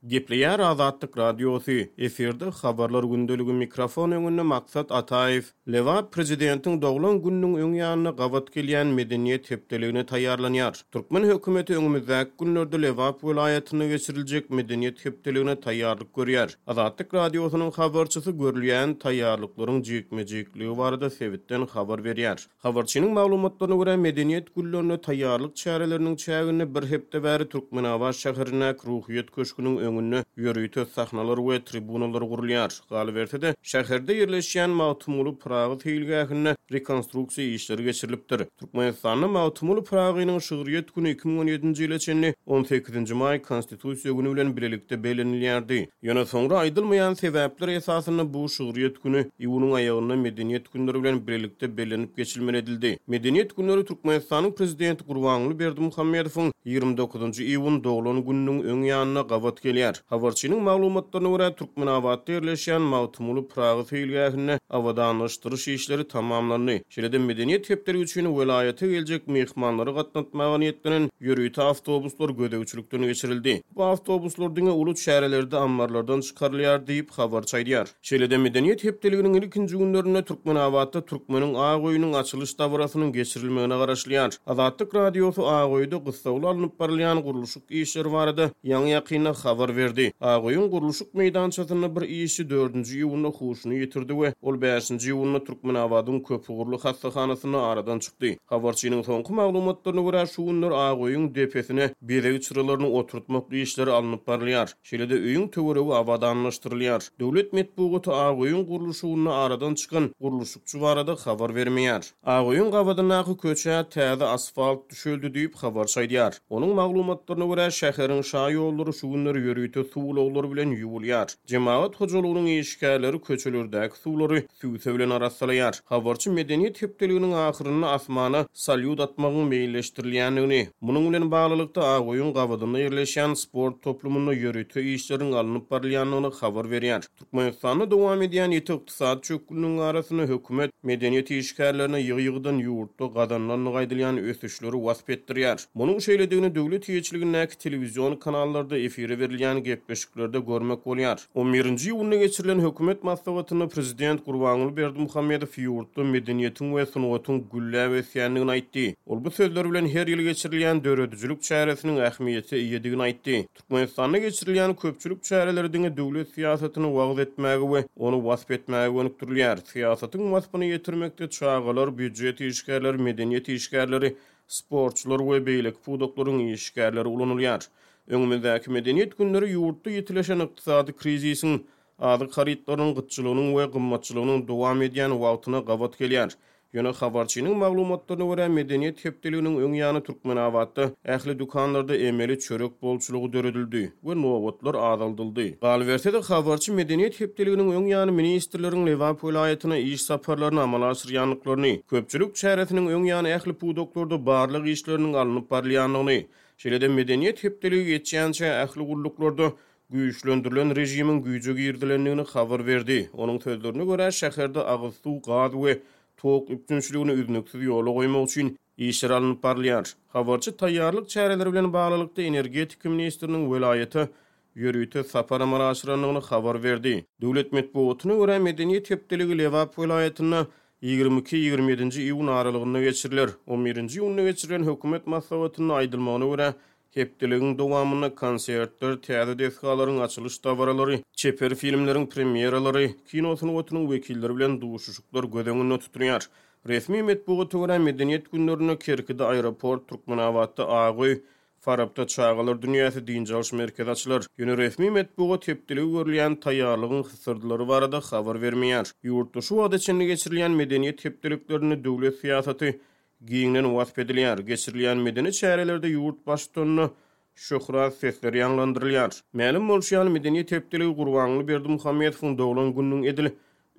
Gepleýär Azatlyk Radiosy, efirde Habarlar gündeligi mikrofon öňünde Maksat Ataýew. Lebap prezidentiň doglan gününiň öň ýanyna gabat gelýän Medeniýet hepdeligine taýýarlanýar. Türkmen hökümeti öňümizdäki günlerde Lebap welaýatynda geçiriljek Medeniýet hepdeligine taýýarlyk görýär. Azatlyk Radiosynyň habarçysy görülýän taýýarlyklaryň jikme-jikligi barada sebitden habar berýär. Habarçynyň maglumatlaryna görä, Medeniýet günlerine taýýarlyk çäreleriniň çäginde bir hepde bäri Türkmenabat şäherindäki Ruhyýet köşgüniň öňünde ýörite sahnalar we tribunalar gurulýar. Galyberse-de, şäherde ýerleşýän Magtymguly Pyragy seýilgähinde rekonstruksiýa işleri geçirilipdir. Türkmenistanda Magtymguly Pyragynyň şygryýet güni 2017-nji ýyla çenli on sekizinji maý Konstitusiýa güni bilen bilelikde bellenilýärdi. Ýöne soňra aýdylmaýan sebäpler esasynda bu şygryýet güni iýunyň aýagynda Medeniýet günleri bilen birlikde bellenip geçilmeli edildi. Medeniýet günleri Türkmenistanyň Prezidenti Gurbanguly Berdimuhamedowyň 29 njy iýun doglan gününiň öň ýanyna gabat gelýär. Habarçynyň maglumatlaryna görä, Türkmenabatda ýerleşýän Magtymguly Pyragy seýilgähinde abadanlaşdyryş işleri tamamlandy. Şeýle-de Medeniýet hepdeligi üçin welaýata geljek myhmanlary gatnatmaga niýetlenen ýörite awtobuslar gözegçilikden geçirildi. Bu awtobuslar diňe uly çärelerde ammarlardan çykarylýar diýip, habarçy aýdýar. Şeýle-de Medeniýet hepdeliginiň ilkinji günlerinde Türkmenabatda Türkmeniň ak öýüniň açylyş dabarasynyň geçirilmegine garaşylýar. Azatlyk Radiosy ak öýde gyssagly alnyp barylýan gurluşyk işleri barada ýaňy-ýakynda habar berdi. Ak öýüň gurluşyk meýdançasynda bir işçi dördünji iýunda huşuny ýitirdi we ol bäşinji iýunda Türkmenabadyň köpugurly hassahanasynda aradan çykdy. Habarçynyň soňky maglumatlaryna görä, şu günler ak öýüň depesine bezeg çyralaryny oturtmak işleri alnyp barylýar. Şeýle-de öýüň töweregi abadanlaşdyrylýar. Döwlet metbugaty ak öýüň gurluşygynda aradan çykan gurluşykçy barada habar bermeýär. Ak öýüň gabadyndaky köçä täze asfalt düşeldi diýip, habarçy aýdýar. Onuň maglumatlaryna görä, şäheriň şa ýollary şu günler ýörite suw ulaglary bilen ýuwulýar. Jemagat hojalygynyň işgärleri köçelerdäki suwlary sübse bilen arassalaýar. Habarçy Medeniýet hepdeliginiň ahyrynda asmana salýut atmagyň meýilleşdirilýändigini, munuň bilen baglylykda Ak öýüň gabadynda ýerleşýän sport toplumynda ýörite işleriň alnyp barylýandygyny habar berýär. Türkmenistanda dowam edýän ýiti ykdysady çökgünligiň arasynda hökümet medeniýet işgärlerine ýygy-ýygydan ýurtda gazanylandygy aýdylýan ösüşleri wasp etdirýär. Munuň şeýledigini döwlet eýeçiligindäki telewizion kanallarda efire berilýän gepleşiklerde görmek bolýar. On birinji iýunda geçirilen hökümet maslahatynda prezident Gurbanguly Berdimuhamedow ýurtda medeniýetiň we sungatyň gülläp ösýändigini aýtdy. Ol bu sözleri bilen her ýyl geçirilýän döredijilik çäresiniň ähmiýete eýedigini aýtdy. Türkmenistanda geçirilýän köpçülik çäreleri diňe döwlet syýasatyny wagyz etmäge we ony wasp etmäge gönükdirilýär. Syýasatyň waspyny ýetirmekde çagalar, býujet işgärleri, medeniýet işgärleri, sportçular we beýleki pudaklaryň işgärleri ulanylýar. Öňümizdäki Medeniýet günleri ýurtda ýitileşen ykdysady krizisiň, azyk harytlarynyň gytçylygynyň we gymmatçylygynyň dowam edýän wagtyna gabat gelýär. Ýöne habarçynyň maglumatlaryna görä, Medeniýet hepdeliginiň öň ýany Türkmenabatda ähli dükanlarda emeli çörek bolçulygy döredildi we nobatlar azaldyldy. Galyberse-de, habarçy Medeniýet hepdeliginiň öň ýany ministrleriň Lebap welaýatyna iş saparlaryny amala aşyrýandyklaryny, köpçülik çäresiniň öň ýany ähli pudaklarda barlag işleriniň alnyp barylýandygyny, şeýle-de Medeniýet hepdeligi geçýänçä ähli gulluklarda güýçlendirilen režimiň güýje girizilendigini habar berdi. Onuň sözlerine görä, şäherde agyz suw, gaz we tok üpjünçiligini üznüksiz ýola goýmak üçin işler alnyp barylýar. Habarçy taýýarlyk çäreleri bilen baglylykda energetika ministriniň welaýata ýörite sapar amala aşyrandygyny habar berdi. Döwlet metbugatyna görä, Medeniýet hepdeligi Lebap welaýatynda 22, 27-nji iýun aralygynda geçiriler. On birinji iýunda geçirilen hökümet maslahatynda aýdylmagyna görä, Hepdeligiň dowamynda konsertler, täze desgalaryň açylyş dabaralary, çeper filmleriň premýeralary, kino sungatynyň wekilleri bilen duşuşyklar göz öňünde tutulýar. Resmi metbugata görä, Medeniýet günlerinde Kerkide aeroport, Türkmenabatda Ak öý, Farapda Çagalar dünýäsi dynç alyş merkezi açylar. Ýöne resmi metbugat hepdeligi görülýän taýýarlygyň hysyrdylary barada habar bermeýär. Ýurtda şu wagta çenli geçirilýän Medeniýet hepdeliklerinde döwlet syýasaty Giňden wasp edilýär. Geçirilýän medeni çärelerde ýurt Baştutanyna şöhrat sesleri ýaňlandyrylýar. Mälim bolşy ýaly, Medeniýet hepdeligi Gurbanguly Berdimuhamedowyň doglan gününiň edil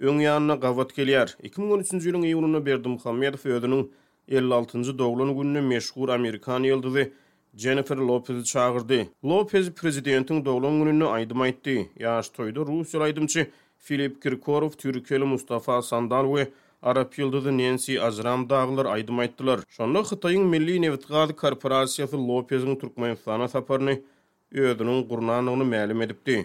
öň ýanyna gabat gelýär. 2013-nji ýylyň iýunynda Berdimuhamedow özüniň 56-njy doglan gününe meşhur amerikan ýyldyzy Jennifer Lopezi çagyrdy. Lopez prezidentiň doglan gününde aýdym aýtdy. Ýaş toýda russiýaly aýdymçy Filip Kirkorow, türkiýeli Mustafa Sandal we arap ýyldyzy Nensi Ajram dagylar aýdym aýtdylar. Şonda Hytaýyň Milli nebitgaz korporasiýasy Lopeziň Türkmenistana saparyny. özüniň gurnandygyny mälim edipdi.